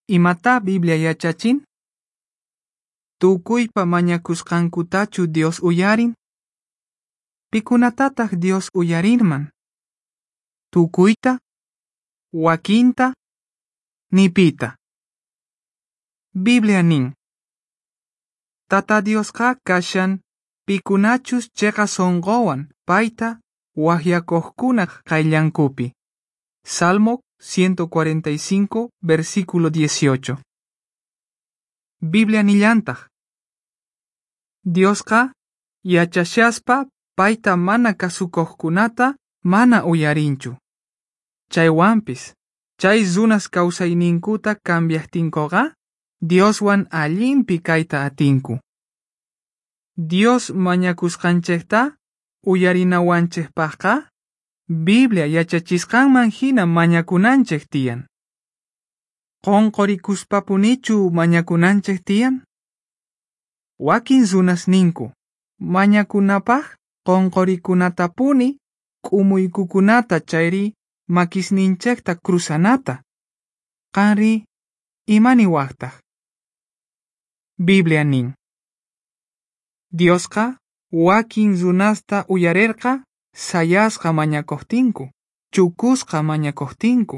Imatá Biblia yachachin? Tukuypa mañakusqankutachu Dios uyarin? Pikunatataq Dios uyarinman? Tukuyta? Wakinta? Nipita. Biblia nin. Tata Diosqa kashan pikunachus chiqa sunquwan payta waqyakuqkunaq qayllankupi. Salmo 145, versículo 18. Biblia nillantaq. Diosqa yachashaspa payta mana kasukuqkunata mana uyarinchu. Chaywanpis, chay runas kawsayninkuta cambiaqtinkuqa, Dioswan allinpi kayta atinku. Dios mañakusqanchikta uyarinawanchikpaqqa, Biblia yachachisqanman hina mañakunanchik tiyan. Qunqurikuspapunichu mañakunanchik tiyan? Wakin runas ninku, mañakunapaq qunqurikunatapuni k'umuykukunata chayri makisninchikta cruzanata. Qanri, imaniwaqtaq? Biblia nin. Diosqa wakin runasta uyarirqa sayasqa mañakuqtinku, chukusqa mañakuqtinku,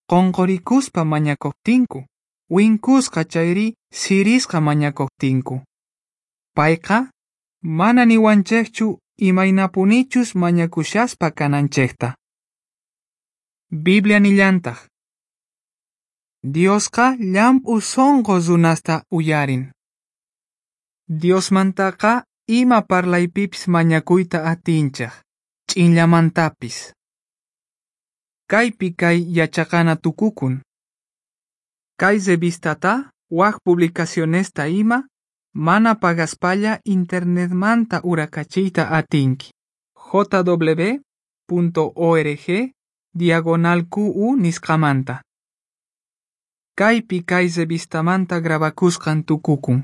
qunqurikuspa mañakuqtinku, winkusqa chayri sirisqa mañakuqtinku. Payqa mana niwanchikchu imaynapunichus mañakushaspa kananchikta. Biblia nillantaq. Diosqa llamp'u sunqu runasta uyarin. Diosmantaqa ima parlaypipis mañakuyta atinchik, ch'inllamantapis. Kaypi kay yachaqana tukukun. Kay revistata wak publicacionesta ima mana pagaspalla internetmanta urakachiyta atinki. jw.org/qu nisqamanta. Kaypi kay revistamanta grabakusqan tukukun.